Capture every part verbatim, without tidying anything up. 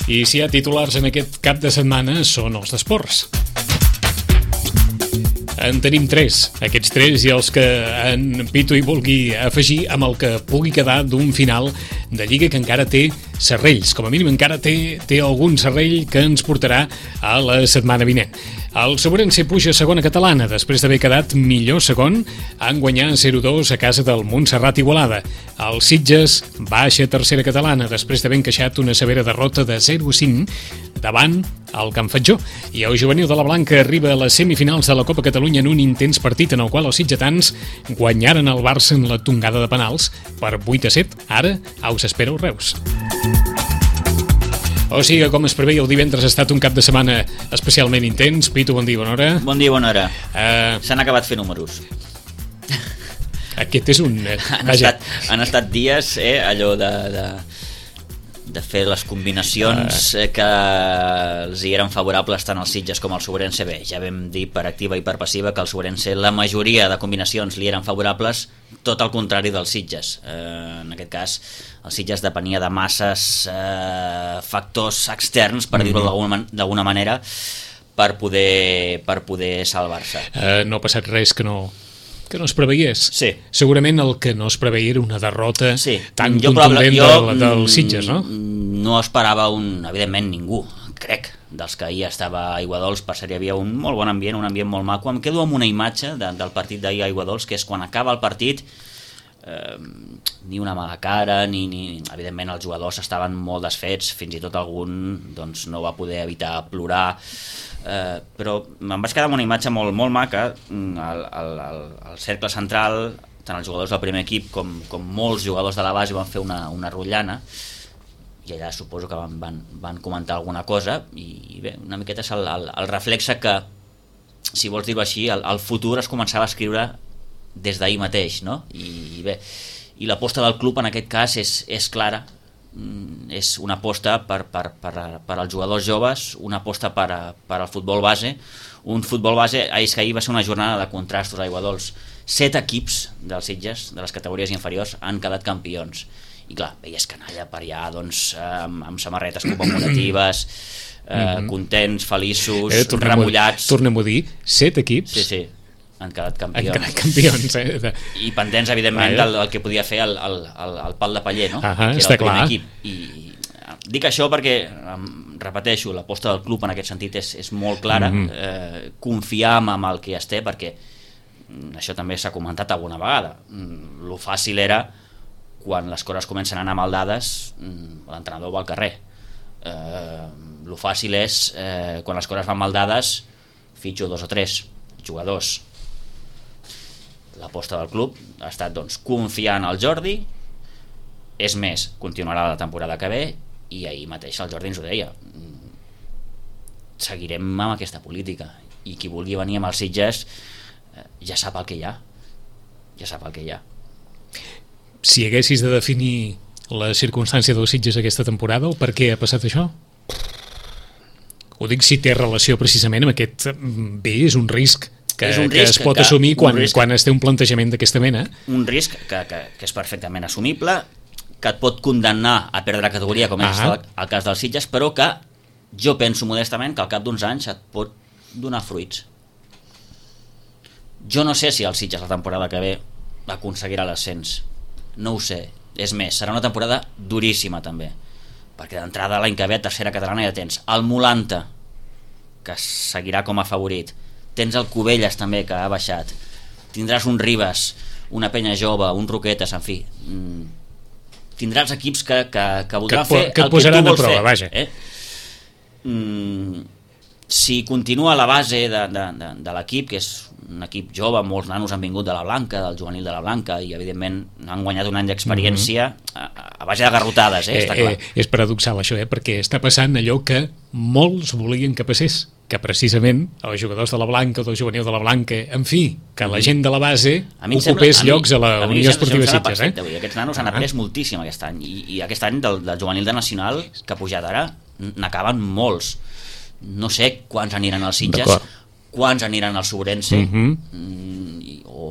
I si hi ha titulars en aquest cap de setmana són els d'esports. En tenim tres, aquests tres i els que en Pitu hi vulgui afegir amb el que pugui quedar d'un final de Lliga que encara té serrells. Com a mínim encara té, té algun serrell que ens portarà a la setmana vinent. El Sobrense puja a segona catalana després d'haver quedat millor segon en guanyar zero dos a casa del Montserrat Igualada. El Sitges baixa a tercera catalana després d'haver encaixat una severa derrota de zero a cinc davant el Can Fatjó. I el juvenil de la Blanca arriba a les semifinals de la Copa Catalunya en un intens partit en el qual els sitgetans guanyaren el Barça en la tongada de penals per vuit a set. Ara us espera el Reus. O sigui, com es preveia, el divendres ha estat un cap de setmana especialment intens. Pitu, bon dia, bona hora. Bon dia, bona hora. Uh, S'han acabat fent números. Aquest és un... Eh, han, estat, han estat dies, eh, allò de, de, de fer les combinacions uh. que els hi eren favorables tant als Sitges com al Sobrense. Bé, ja vam dir per activa i per passiva que al Sobrense la majoria de combinacions li eren favorables, tot el contrari dels Sitges. Eh, en aquest cas, el Sitges depenia de masses eh, factors externs, per dir-ho mm-hmm. d'alguna manera, per poder, per poder salvar-se. Uh, no ha passat res que no... que no es preveiés. Sí. Segurament el que no es preveia era una derrota sí. tan jo, contundent jo, del, del Sitges, no? No esperava un, evidentment ningú, crec, dels que ahir estava a Aiguadols. Per cert, hi havia un molt bon ambient, un ambient molt maco. Em quedo amb una imatge de, del partit d'ahir a Aiguadols, que és quan acaba el partit, eh, ni una mala cara, ni, ni... evidentment els jugadors estaven molt desfets, fins i tot algun doncs, no va poder evitar plorar. Uh, però em vaig quedar amb una imatge molt, molt maca. Al, al, al cercle central, tant els jugadors del primer equip com, com molts jugadors de la base van fer una, una rotllana, i allà suposo que van, van, van comentar alguna cosa, i, i bé, una miqueta és el, el, el reflexe que, si vols dir-ho així, el, el futur es començava a escriure des d'ahir mateix, no? I, i bé, i l'aposta del club en aquest cas és, és clara. És una aposta per, per, per, per als jugadors joves, una aposta per, a, per al futbol base, un futbol base. És que ahir va ser una jornada de contrastos a Aiguadols. Set equips dels Sitges, de les categories inferiors, han quedat campions, i clar, veies canalla per allà, doncs, amb, amb samarretes commemoratives, eh, mm-hmm. contents, feliços, eh, tornem remullats. Tornem-ho a dir, set equips. Sí, sí, han quedat campions. Han quedat campions, eh? De... I pendents, evidentment, del, del que podia fer el, el, el, el pal de paller, no? Ah, que era està el primer clar. Equip. I dic això perquè, repeteixo, l'aposta del club en aquest sentit és, és molt clara. Mm-hmm. eh, confiar en el que ja es té, perquè això també s'ha comentat alguna vegada. Lo fàcil era, quan les coses comencen a anar mal dades, l'entrenador va al carrer. Eh, lo fàcil és, eh, quan les coses van mal dades, fitxo dos o tres jugadors. L'aposta del club ha estat, doncs, confiar en el Jordi. És més, continuarà la temporada que ve, i ahir mateix el Jordi ens ho deia, seguirem amb aquesta política, i qui vulgui venir amb els Sitges eh, ja sap el que hi ha, ja sap el que hi ha. Si haguessis de definir la circumstància dels Sitges aquesta temporada, o per què ha passat això? Ho dic si té relació precisament amb aquest... Bé, és un risc que, és un que risc es pot que, assumir quan, risc, quan es té un plantejament d'aquesta mena. Un risc que, que, que és perfectament assumible, que et pot condemnar a perdre categoria, com és el, el cas dels Sitges, però que jo penso modestament que al cap d'uns anys et pot donar fruits. Jo no sé si el Sitges la temporada que ve aconseguirà l'ascens, no ho sé. És més, serà una temporada duríssima també, perquè d'entrada l'any que ve a tercera catalana ja tens el Molanta, que seguirà com a favorit, tens el Cubelles també, que ha baixat, tindràs un Ribes, una Penya Jove, un Roquetes, en fi, tindràs equips que, que, que voldran que, fer que el que tu vols fer, vaja. eh? mm, si continua la base de, de, de, de l'equip, que és un equip jove, molts nanos han vingut de la Blanca, del juvenil de la Blanca, i evidentment han guanyat un any d'experiència mm-hmm. a, a base de garrotades, eh? Està clar. Eh, és paradoxal això, eh? Perquè està passant allò que molts volien que passés, que precisament els jugadors de la Blanca o del juvenil de la Blanca, en fi, que la gent de la base ocupés sembla, llocs a, mi, a la Unió Esportiva Sitges. Eh? Aquests nanos han après ah. moltíssim aquest any, i, i aquest any del, del juvenil de Nacional, que ha pujat ara, n'acaben molts. No sé quants aniran als Sitges, quants aniran al Sobrense, mm-hmm. o,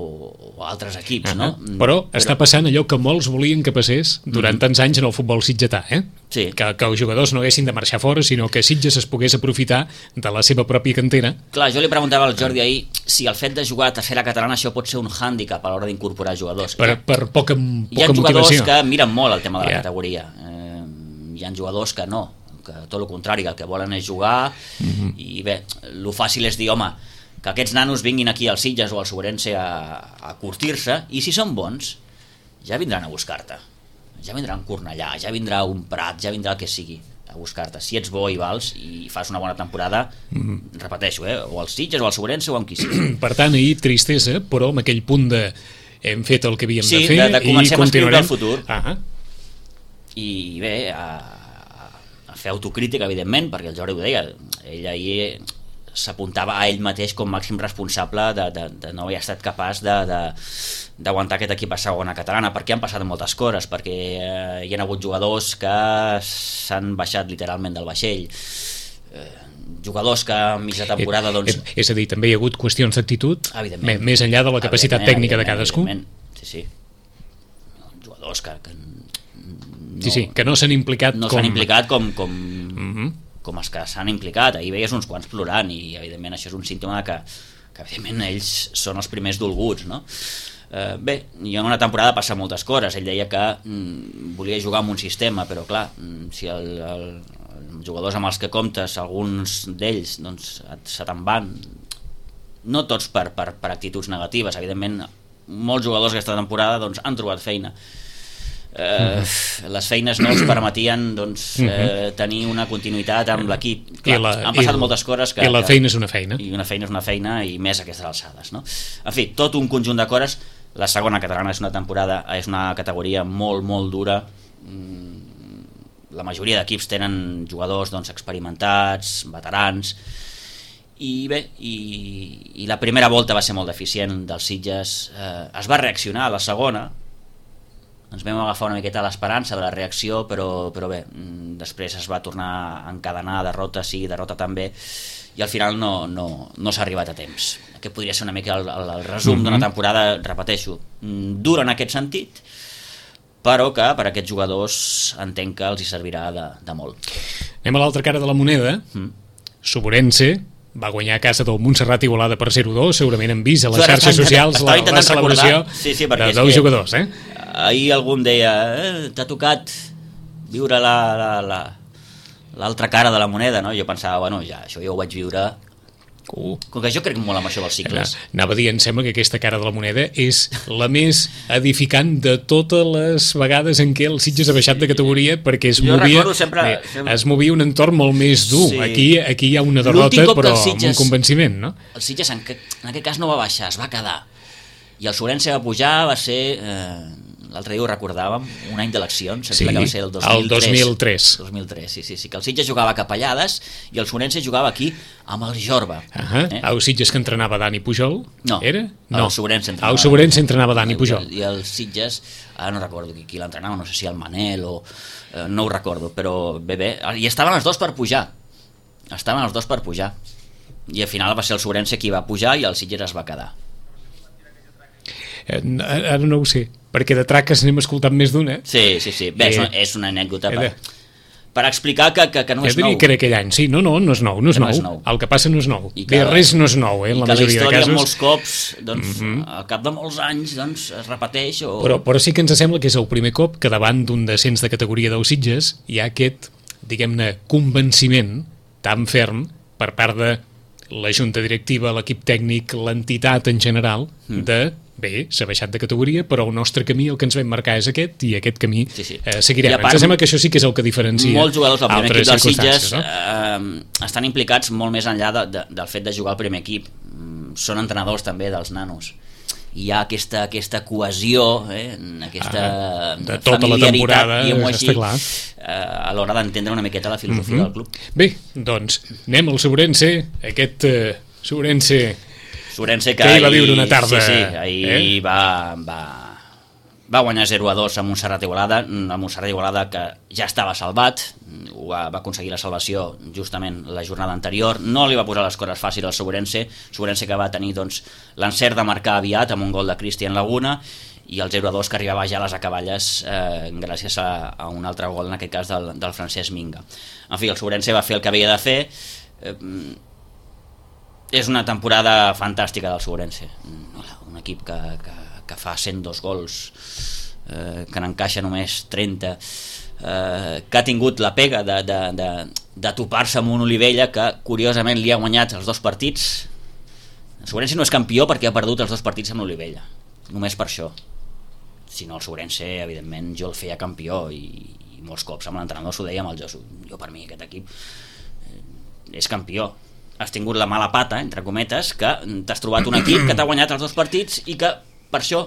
o altres equips, uh -huh. no? Però, Però està passant allò que molts volien que passés durant uh -huh. tants anys en el futbol sitgetà, eh? Sí. Que, que els jugadors no haguessin de marxar fora, sinó que Sitges es pogués aprofitar de la seva pròpia cantera. Clar, jo li preguntava al Jordi ahir si el fet de jugar a tercera catalana això pot ser un hàndicap a l'hora d'incorporar jugadors. Per, per poca, poca motivació. Hi ha jugadors que miren molt el tema de la yeah. categoria. Eh, hi ha jugadors que no, que tot el contrari, que el que volen és jugar uh -huh. i bé, el fàcil és dir, home, que aquests nanos vinguin aquí al Sitges o al Sobrense a, a curtir-se, i si són bons ja vindran a buscar-te, ja vindrà un Cornellà, ja vindrà un Prat, ja vindrà el que sigui a buscar-te. Si ets bo i vals i fas una bona temporada, mm. repeteixo, eh? o al Sitges o al Sobrense o amb qui sigui. Per tant, ahir tristesa, però amb aquell punt de hem fet el que havíem sí, de fer de, de comencem i continuarem. A escriure el futur. Ah i bé, a, a fer autocrítica, evidentment, perquè el Jordi ho deia, ell ahir s'apuntava a ell mateix com màxim responsable de, de, de no haver estat capaç d'aguantar aquest equip a segona catalana, perquè han passat moltes coses, perquè eh, hi ha hagut jugadors que s'han baixat literalment del vaixell, eh, jugadors que a mitja temporada doncs... És a dir, també hi ha hagut qüestions d'actitud més enllà de la capacitat tècnica de cadascú. Sí, sí, jugadors que, que no, sí, sí, que no s'han implicat no com... s'han implicat com, com, uh-huh. com els que s'han implicat. Ahir veies uns quants plorant i evidentment això és un símptoma que, que evidentment ells són els primers dolguts, no? Eh, bé, i en una temporada passa moltes coses. Ell deia que mm, volia jugar amb un sistema, però clar, si el, el, els jugadors amb els que comptes, alguns d'ells doncs, se te'n van, no tots per, per, per actituds negatives, evidentment molts jugadors aquesta temporada doncs, han trobat feina. Eh, uh-huh. Les feines no els permetien doncs, eh, tenir una continuïtat amb l'equip. Han passat la, moltes coses que, i la feina és una feina i una feina és una feina i més a aquestes alçades, no? En fi, tot un conjunt de coses. La segona catalana és una temporada, és una categoria molt molt dura. La majoria d'equips tenen jugadors doncs, experimentats, veterans, i bé, i, i la primera volta va ser molt deficient dels Sitges. Eh, es va reaccionar a la segona, ens vam agafar una miqueta l'esperança de la reacció, però, però bé, després es va tornar a encadenar derrota sí, derrota també, i al final no, no, no s'ha arribat a temps. Aquest podria ser una mica el, el, el resum mm-hmm. d'una temporada, repeteixo, dura en aquest sentit, però que per a aquests jugadors entenc que els hi servirà de, de molt. Anem a l'altra cara de la moneda. mm. Sobrense va guanyar a casa del Montserrat Igualada per zero dos, segurament han vist a les xarxes socials la, la celebració sí, sí, de dos jugadors, eh? Ahir algú em deia, eh, t'ha tocat viure la, la, la, l'altra cara de la moneda, no? Jo pensava, bueno, ja, això ja ho vaig viure. Uh. Com que jo crec molt amb això dels cicles. Anava a dir, em sembla que aquesta cara de la moneda és la més edificant de totes les vegades en què el Sitges ha baixat de categoria, perquè es movia, sempre, sempre... es movia un entorn molt més dur. Sí. Aquí, aquí hi ha una derrota, però Sitges, amb un convenciment, no? El Sitges en, que, en aquest cas no va baixar, es va quedar. I el Sobrense va pujar, va ser... Eh, l'altre dia ho recordàvem, un any d'eleccions, sí, que va ser el dos mil tres. El dos mil tres. dos mil tres, sí, sí, sí, que el Sitges jugava a Capellades i el Sobrense jugava aquí amb el Jorba. Uh -huh. eh? El Sitges que entrenava Dani Pujol? No, era? No. El Sobrense entrenava, el Sobrense entrenava Dani Pujol. I el, el Sitges, ara no recordo qui, qui l'entrenava, no sé si el Manel o... Eh, no ho recordo, però bé, bé, i estaven els dos per pujar. Estaven els dos per pujar. I al final va ser el Sobrense qui va pujar i el Sitges es va quedar. Eh, ara no ho sé, perquè de traques n'hem escoltat més d'una. Sí, sí, sí. Bé, eh, és una anècdota per, per explicar que, que, que no és nou. Que era aquell any, sí, no, no, no és nou, no és, nou. no és nou. El que passa no és nou. I que, Bé, res no és nou, eh, en la majoria de casos. I que la història molts cops, doncs, mm-hmm. al cap de molts anys, doncs, es repeteix. O... Però, però sí que ens sembla que és el primer cop que davant d'un descens de categoria dels Sitges hi ha aquest, diguem-ne, convenciment tan ferm per part de la junta directiva, l'equip tècnic, l'entitat en general, mm. de bé, s'ha baixat de categoria, però el nostre camí, el que ens vam marcar és aquest, i aquest camí sí, sí. Eh, seguirem. Part, ens sembla que això sí que és el que diferencia molts jugadors del primer equip dels Sitges no? eh, estan implicats molt més enllà de, de, del fet de jugar al primer equip. Són entrenadors també dels nanos. Hi ha aquesta, aquesta cohesió, eh, aquesta ah, de tota la temporada, així, està clar. Eh, a l'hora d'entendre una miqueta la filosofia mm-hmm. del club. Bé, doncs, anem al Sobrense, aquest uh, Sobrense... Sobrense que, que ahir va viure una tarda, sí, sí, ahir eh? va, va, va guanyar zero a dos a Montserrat Igualada, a Montserrat Igualada que ja estava salvat, va, va aconseguir la salvació justament la jornada anterior, no li va posar les coses fàcils al Sobrense, Sobrense que va tenir doncs, l'encert de marcar aviat amb un gol de Cristian Laguna, i el zero a dos que arribava ja a les acaballes eh, gràcies a, a un altre gol, en aquest cas del, del Francesc Minga. En fi, el Sobrense va fer el que havia de fer. Eh, és una temporada fantàstica del Sobrense, un equip que, que, que fa cent dos gols, eh, que n'encaixa només trenta, eh, que ha tingut la pega de, de, de, de topar-se amb un Olivella que curiosament li ha guanyat els dos partits. El Sobrense no és campió perquè ha perdut els dos partits amb l'Olivella, només per això. Si no, el Sobrense, evidentment, jo el feia campió, i, i molts cops amb l'entrenador s'ho deia amb el Josu. Jo, per mi, aquest equip eh, és campió. Has tingut la mala pata, entre cometes, que t'has trobat un equip que t'ha guanyat els dos partits i que, per això,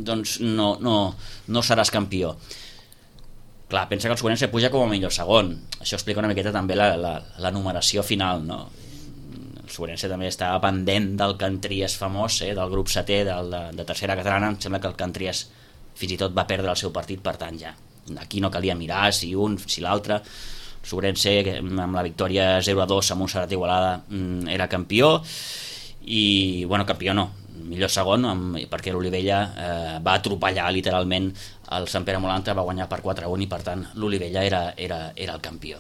doncs, no, no, no seràs campió. Clar, pensa que el Sobrense puja com a millor segon. Això explica una miqueta també la, la, la numeració final, no? El Sobrense també estava pendent del Cantries famós, eh, del grup setè del, de, de tercera catalana. Em sembla que el Cantries fins i tot va perdre el seu partit, per tant ja aquí no calia mirar si un, si l'altre. El Sobrense amb la victòria zero a dos a Montserrat Igualada era campió, i bueno, campió no, millor segon, amb, perquè l'Olivella eh, va atropellar literalment el Sant Pere Molanta, va guanyar per quatre a un, i per tant l'Olivella era, era, era el campió.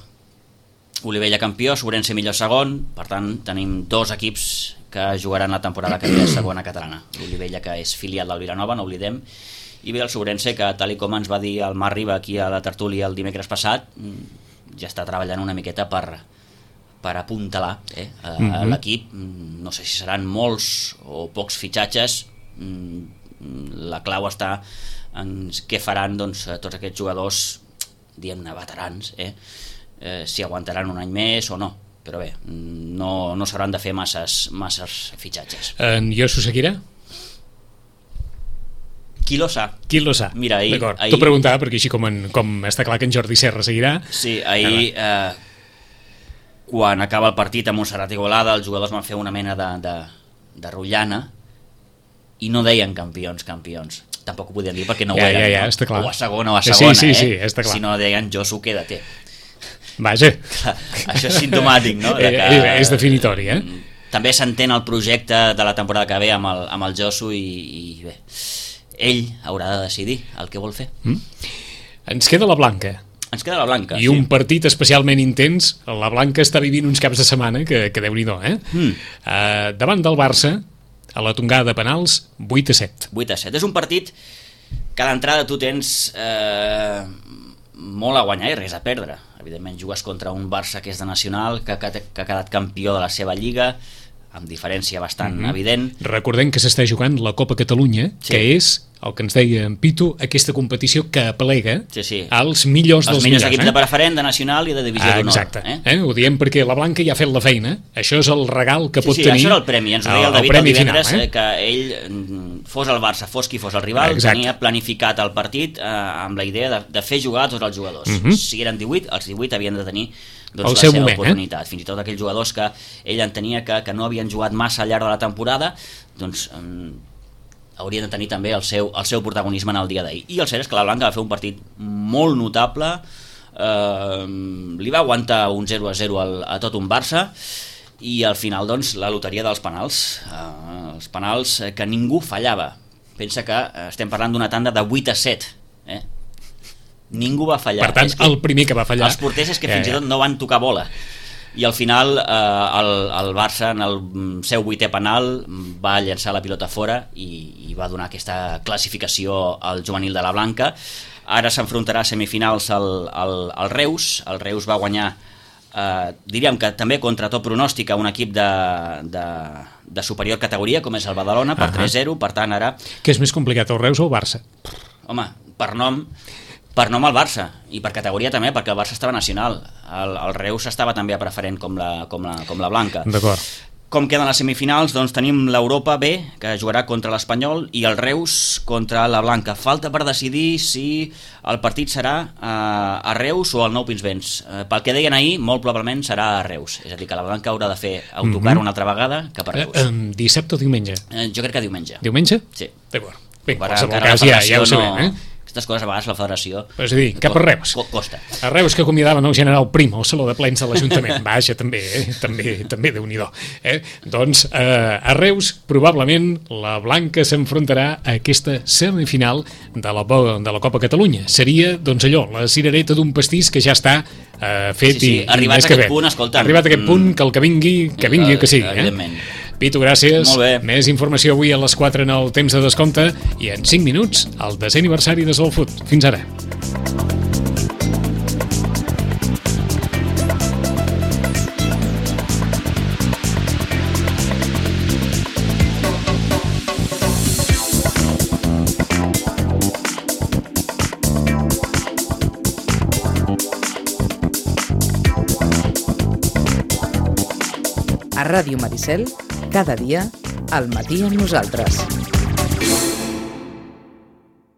Olivella campió, Sobrense millor segon, per tant tenim dos equips que jugaran la temporada que ve a segona catalana. L'Olivella, que és filial del Vilanova, no oblidem, i bé el Sobrense, que tal i com ens va dir el Marc Riba aquí a la tertúlia el dimecres passat, ja està treballant una miqueta per, per apuntalar eh, a, a l'equip. No sé si seran molts o pocs fitxatges, la clau està en què faran doncs, tots aquests jugadors, diguem-ne, veterans, eh, eh, si aguantaran un any més o no, però bé, no, no s'hauran de fer masses, masses fitxatges. En Josu Seguirà? Qui lo sa? Qui lo sa? Mira, ahir, D'acord, ahir... t'ho preguntava perquè així com, en, com està clar que en Jordi Serra seguirà. Sí, ahir eh, quan acaba el partit a Montserrat Igualada els jugadors van fer una mena de, de, de rotllana i no deien campions, campions. Tampoc ho podien dir perquè no ho ja, eren, ja, ja, no? Està clar. O a segona o a segona, sí, sí, eh? Sí, està clar. Si no deien Josu, quédate. Vaja. Clar, això és simptomàtic, no? De que, eh, és definitori, eh? També s'entén el projecte de la temporada que ve amb el, amb el Josu i, i bé, ell haurà de decidir el que vol fer. Mm. Ens queda la Blanca. Ens queda la Blanca, I sí. un partit especialment intens. La Blanca està vivint uns caps de setmana que, que Déu-n'hi-do, eh? Mm. Uh, davant del Barça, a la tongada de penals, vuit a set. vuit a set. És un partit que a l'entrada tu tens eh, molt a guanyar i res a perdre. Evidentment jugues contra un Barça que és de nacional, que, que, que ha quedat campió de la seva lliga, amb diferència bastant mm-hmm. evident. Recordem que s'està jugant la Copa Catalunya, sí. que és, el que ens deia en Pitu, aquesta competició que aplega sí, sí. als millors els dels millors millors. equips eh? de preferent, de nacional i de divisió ah, d'honor. Exacte, eh? Eh? Ho diem perquè la Blanca ja ha fet la feina. Això és el regal que sí, pot sí, tenir. Això era el premi, ens ho deia el, el David el divendres, final, eh? que ell, fos el Barça, fos qui fos el rival, exacte. Tenia planificat el partit eh, amb la idea de, de fer jugar tots els jugadors. Mm-hmm. Si eren divuit, els divuit havien de tenir doncs, el la seu seva moment, oportunitat. Eh? Fins i tot aquells jugadors que ell entenia que, que no havien jugat massa al llarg de la temporada, doncs eh, haurien de tenir també el seu, el seu protagonisme en el dia d'ahir. I el cert és que la Blanca va fer un partit molt notable, eh, li va aguantar un zero a zero al, a tot un Barça, i al final doncs la loteria dels penals, eh, els penals que ningú fallava. Pensa que estem parlant d'una tanda de vuit a set, eh? Ningú va fallar. Per tant, és que el primer que va fallar... Els porters és que fins ja, ja. i tot no van tocar bola. I al final eh, el, el Barça en el seu vuitè penal va llançar la pilota fora i, i va donar aquesta classificació al juvenil de la Blanca. Ara s'enfrontarà a semifinals al, al, al Reus. El Reus va guanyar, eh, diríem que també contra tot pronòstic, a un equip de, de, de superior categoria com és el Badalona per uh-huh. tres a zero. Per tant, ara... Què és més complicat, el Reus o el Barça? Home, per nom... Per nom al Barça, i per categoria també, perquè el Barça estava nacional. El, el Reus estava també a preferent com la, com la, com la Blanca. D'acord. Com queden les semifinals? Doncs tenim l'Europa B, que jugarà contra l'Espanyol, i el Reus contra la Blanca. Falta per decidir si el partit serà eh, a Reus o al Nou Pinsbens. Eh, pel que deien ahir, molt probablement serà a Reus. És a dir, que la Blanca haurà de fer autocar mm-hmm. una altra vegada cap a Reus. Eh, eh, dissabte o diumenge? Eh, jo crec que diumenge. Diumenge? Sí. D'acord. Bé, en Per qualsevol encara la cas ja, ja ho federació sabem, no- eh? Aquestes coses a vegades la federació... És a dir, cap a Reus. co- Costa. A Reus que acomiadaven el general Primo al Saló de Plens de l'Ajuntament. Vaja, també, eh? també, també Déu-n'hi-do. Eh? Doncs eh, a Reus probablement la Blanca s'enfrontarà a aquesta semifinal de la, bo- de la Copa Catalunya. Seria, doncs allò, la cirereta d'un pastís que ja està eh, fet Sí, sí, i, arribats i més a que aquest bé. punt, escolta'm, Arribat a aquest punt, que el que vingui, que vingui el que sigui. Evidentment. Eh? Pitu, gràcies. Molt bé. Més informació avui a les quatre en el temps de descompte i en cinc minuts el desè aniversari de Soul Food. Fins ara. A Ràdio Maricel, cada dia, al matí amb nosaltres.